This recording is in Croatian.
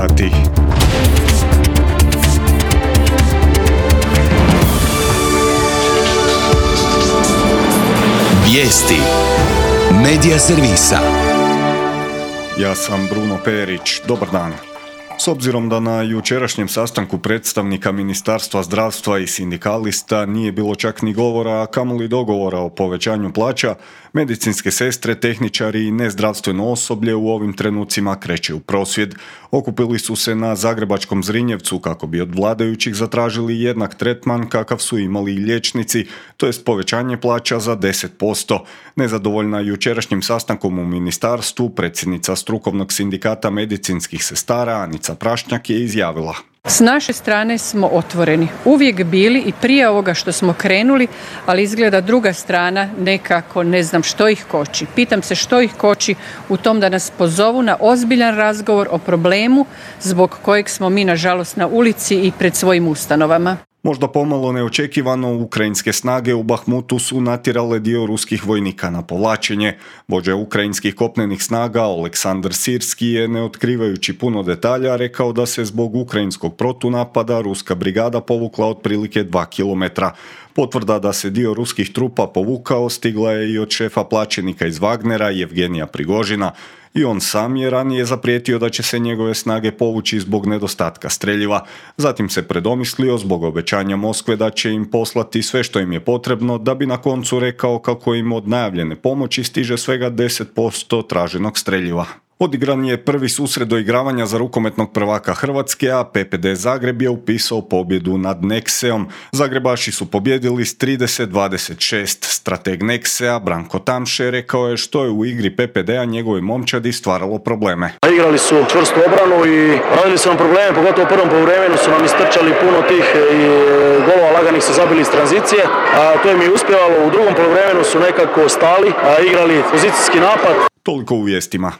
bahati. Vijesti Medija servisa. Ja sam Bruno Perić. Dobar dan. S obzirom da na jučerašnjem sastanku predstavnika Ministarstva zdravstva i sindikalista nije bilo čak ni govora, a kamoli dogovora o povećanju plaća, medicinske sestre, tehničari i nezdravstveno osoblje u ovim trenucima kreće u prosvjed. Okupili su se na zagrebačkom Zrinjevcu kako bi od vladajućih zatražili jednak tretman kakav su imali i liječnici, to jest povećanje plaća za 10%. Nezadovoljna jučerašnjim sastankom u ministarstvu, predsjednica strukovnog sindikata medicinskih sestara Anica Prašnjak je izjavila: S naše strane smo otvoreni, uvijek bili i prije ovoga što smo krenuli, ali izgleda druga strana nekako ne znam što ih koči. Pitam se što ih koči u tom da nas pozovu na ozbiljan razgovor o problemu zbog kojeg smo mi nažalost na ulici i pred svojim ustanovama. Možda pomalo neočekivano, ukrajinske snage u Bahmutu su natjerale dio ruskih vojnika na povlačenje. Vođa ukrajinskih kopnenih snaga Oleksandr Sirski je, ne otkrivajući puno detalja, rekao da se zbog ukrajinskog protunapada ruska brigada povukla otprilike 2 km. Potvrda da se dio ruskih trupa povukao stigla je i od šefa plaćenika iz Wagnera Jevgenija Prigožina. I on sam je ranije zaprijetio da će se njegove snage povući zbog nedostatka streljiva. Zatim se predomislio zbog obećanja Moskve da će im poslati sve što im je potrebno, da bi na koncu rekao kako im od najavljene pomoći stiže svega 10% traženog streljiva. Odigran je prvi susret doigravanja za rukometnog prvaka Hrvatske, a PPD Zagreb je upisao pobjedu nad Nexeom. Zagrebaši su pobjedili s 30-26. Strateg Nexea Branko Tamše rekao je što je u igri PPD-a njegovoj momčadi stvaralo probleme. Igrali su čvrstu obranu i radili su nam probleme, pogotovo u prvom poluvremenu su nam istrčali puno tih i golova laganih su zabili iz tranzicije, a to im je uspjevalo. U drugom poluvremenu su nekako stali, igrali pozicijski napad. Toliko u vijestima.